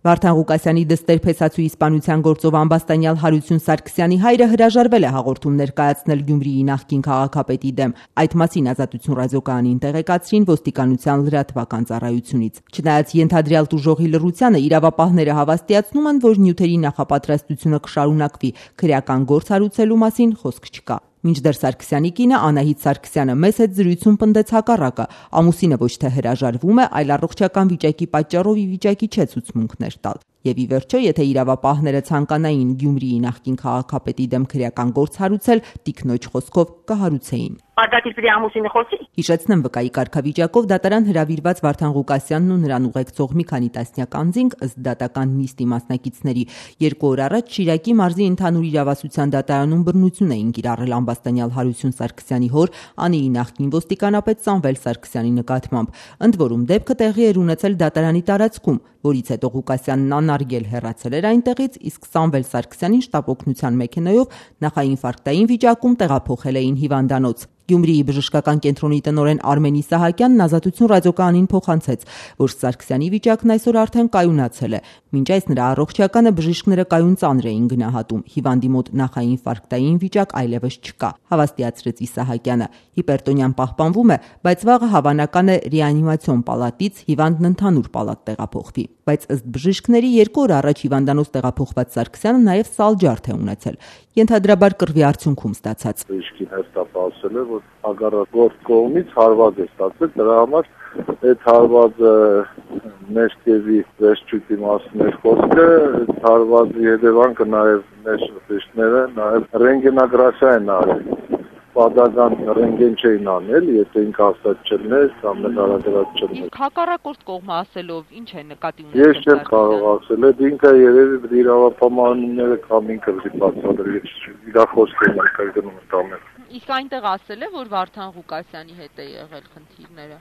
Վարդան Ղուկասյանի դստեր փեսացու իսպանության գործով ամբաստանյալ Հարություն Սարգսյանի հայրը հրաժարվել է հաղորդում ներկայացնել Գյումրիի նախկին քաղաքապետի դեմ։ Այդ մասին Ազատություն ռադիոկայանին տեղեկացրին ոստիկանության լրատվական ծառայությունից։ Չնայած ենթադրյալ տուժողի լռությանը, իրավապահները հավաստիացնում են, որ նյութերի նախապատրաստությունը կշարունակվի, քրեական գործ հարուցելու մասին խոսք չկա։ Մինչդեռ Սարգսյանի կինը Անահիտ Սարգսյանը մեծ հետ զրույցում պնդեց հակառակը։ Ամուսինը ոչ թե հրաժարվում է, այլ առողջական վիճակի պատճառով ի վիճակի չէ ցուցմունքներ տալ։ Եվ ի վերջո, եթե իրավապահները ցանկանային Գյումրիի նախկին քաղաքապետի դեմ քրեական գործ հարուցել, տիկնոջ խոսքով կհարուցեին։ Արտակիցրի ամուսինը խոսի։ Հիշեցնեմ, վկայի կարգավիճակով դատարան հրավիրված Վարդան Ղուկասյանն ու նրան ուղեկցող մի քանի տասնյակ անձինք ըստ դատական նիստի մասնակիցների 2 օր առաջ Շիրակի մարզի ընդհանուր իրավասության դատարանում բռնություն էին կիրառել ամբաստանյալ Հարություն Սարգսյանի հոր Անիի նախկին ոստիկանապետ Սամվել Սարգսյանի նկատմամբ։ Ընդ որում դեպքը տեղի էր ունեցել դատարանի տարածքում, որից հետո Ղուկասյանն անարգել հեռացել էր այնտեղից, իսկ Սամվել Սարգսյանին շտապ օգնության մեքենայով նախաինֆարկտային վիճակում տեղափոխել էին հիվանդանոց։ Գյումրիի բժշկական կենտրոնի տնօրեն Արմենի Սահակյանն Ազատություն ռադիոկայանին փոխանցեց, որ Սարգսյանի վիճակն այսօր արդեն կայունացել է։ Մինչ այս նրա առողջականը բժիշկները կայուն ծանր էին գնահատում։ Հիվանդի մոտ նախաինֆարկտային վիճակ այլևս չկա, հավաստիացրեց Սահակյանը։ Հիպերտոնյան պահպանվում է, բայց վաղը հավանական է ռեանիմացիոն պալատից հիվանդն ընդհանուր պալատ տեղափոխվի։ Բայց ըստ բժիշկների 2 օր առաջ հիվանդանոց տեղափոխված Սարգսյանը նաև սալջարդ է ունեցել, ենթադրաբար կռվի արդյունքում ստացած։ Բժիշկին հստակ ասել է, որ հակառակ կողմից հարված է ստացել, դրա համար այդ հարվածը մեջտեղի վերջույթի մասին էր խոսքը, այդ հարվածի հետևանքը նաև մեր բժիշկները նաև ռենտգենոգրաֆիա են արել։ Պատական ռենտգեն չէին անել, եթե ինքը ասած չլներ, կամ նկարագրած չլներ։ Հակառակորդ կողմը ասելով ինչ է նկատի ունեցել։ Ես չեմ կարող ասել, այդ ինքը երևի իրավապահմանները կամ ինքը բացատրել, իր խոսքերն արկայանում տանել։ Իսկ այնտեղ ասել է, որ Վարդան Ղուկասյանի հետ է եղել խնդիրները։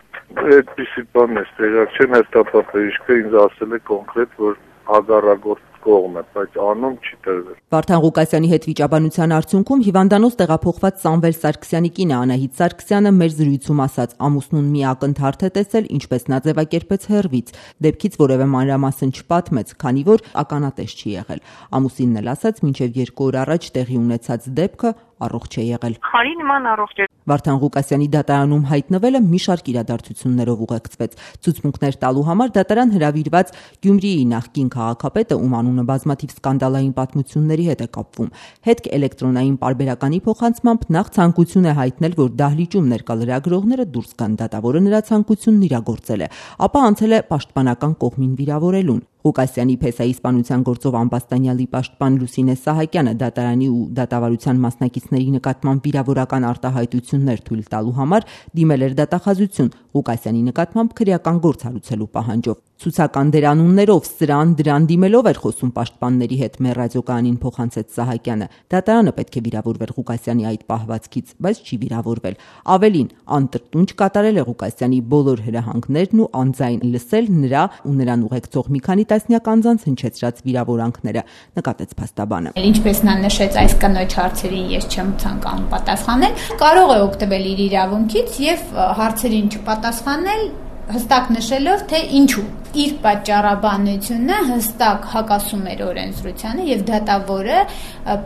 Այդպիսի բան է, տեղակ չեմ հերթապահ բժիշկը ինձ ասել է կոնկրետ, որ հակառակորդ կողմ է, բայց անում չի տրվել։ Վարդան Ղուկասյանի հետ վիճաբանության արդյունքում հիվանդանոց տեղափոխված Սամվել Սարգսյանի կինը Անահիտ Սարգսյանը մեր զրույցում ասաց, ամուսնուն մի ակնթարթ է տեսել, ինչպես նա ձևակերպեց հեռվից, դեպքից որևէ մանրամասն չպատմեց, քանի որ ականատես չի եղել։ Ամուսինն էլ ասաց, մինչև 2 օր առաջ տեղի ունեցած դեպքը առողջ է եղել։ Խարի նման առողջ է։ Վարդան Ղուկասյանի դատարանում հայտնվելը մի շարք իրադարձություններով ուղեկցվեց։ Ցուցմունքներ տալու համար դատարան հրավիրված Գյումրիի նախկին քաղաքապետը, ում անունը բազմաթիվ սկանդալային պատմությունների հետ է կապվում, հետք էլեկտրոնային պարբերականի փոխանցմամբ նախ ցանկություն է հայտնել, որ դահլիճում ներկա լրագրողները դուրս գան, դատավորը նրա ցանկությունն իրագործել է, ապա անցել է պաշտպանական կողմին վիրավորելուն։ Ղուկասյանի փեսայի իսպանության գործով ամբաստանյալի պաշտպան Լուսինե Սահակյանը դատարանի ու դատավարության մասնակիցների նկատմամբ վիրավորական արտահայտություններ թույլ տալու համար դիմել էր դատախազություն Ղուկասյանի նկատմամբ քրեական գործ հարուցելու պահանջով։ Ցուցական դերանուններով դրան դիմելով էր խոսում պաշտպանների հետ, մեր ռադիոկայանին փոխանցեց Սահակյանը։ Դատարանը պետք է վիրավորվեր Ղուկասյանի այդ պահվածքից, բայց չի վիրավորվել։ Ավելին, անտրտունջ կատարել է Ղուկասյանի բոլոր հրահանգներն ու անձայն լսել նրա ու նրան ուղեկցող մի քանի տասնյակ անձանց հնչեցրած վիրավորանքները, նկատեց փաստաբանը։ Ինչպես նա նշեց, այս կնոջ հարցերին ես չեմ ցանկանում պատասխանել, կարող է օգտվել իր իրավունքից եւ հարցերին չպատասխանել, հստակ նշելով, թե ինչու։ Իր պատճառաբանությունը հստակ հակասում էր օրենսդրությանը եւ դատավորը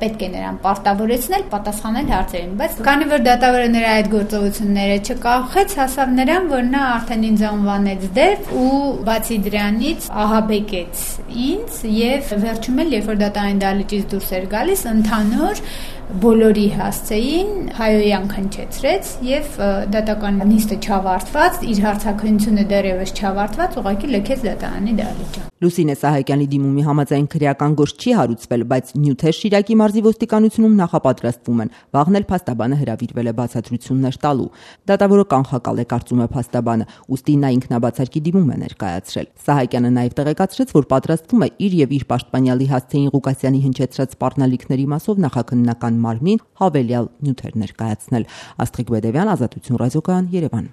պետք է նրան պարտավորեցնել պատասխանել հարցերին, բայց քանի որ դատավորը նրա այդ գործողությունները չկախեց, հասավ նրան, որ նա արդեն ինձ անվանեց դեպ ու բացի դրանից ահաբեկեց ինձ եւ վերջում էլ երբ որ դատարանի դահլիճից դուրս էր գալիս, ընդհանուր բոլորի հասցեին հայոյան քնչեցրեց եւ դատական նիստը չավարտված, իր հարցաքննությունը դեռևս չավարտված, ուղղակի լքեց դատարանի դահլիճը։ Լուսինե Սահակյանի դիմումի համաձայն քրեական գործ չի հարուցվել, բայց նյութեր Շիրակի մարզի ոստիկանությունում նախապատրաստվում են։ Վաղն էլ փաստաբանը հրավիրվել է բացատրություններ տալու։ Դատավորը կանխակալ է, կարծում է փաստաբանը, ուստի նա ինքնաբացարկի դիմում է ներկայացրել։ Սահակյանը նաև տեղեկացրեց, որ պատրաստվում է իր եւ իր պաշտպանյալի հասցեին Ղուկասյանի հնչեցրած սպառնալիքների մասով նախաքննական մարմնին հավելյալ նյութեր ներկայացնել։ Աստղիկ Բեդևյան, Ազատություն ռադիոկայան, Երևան։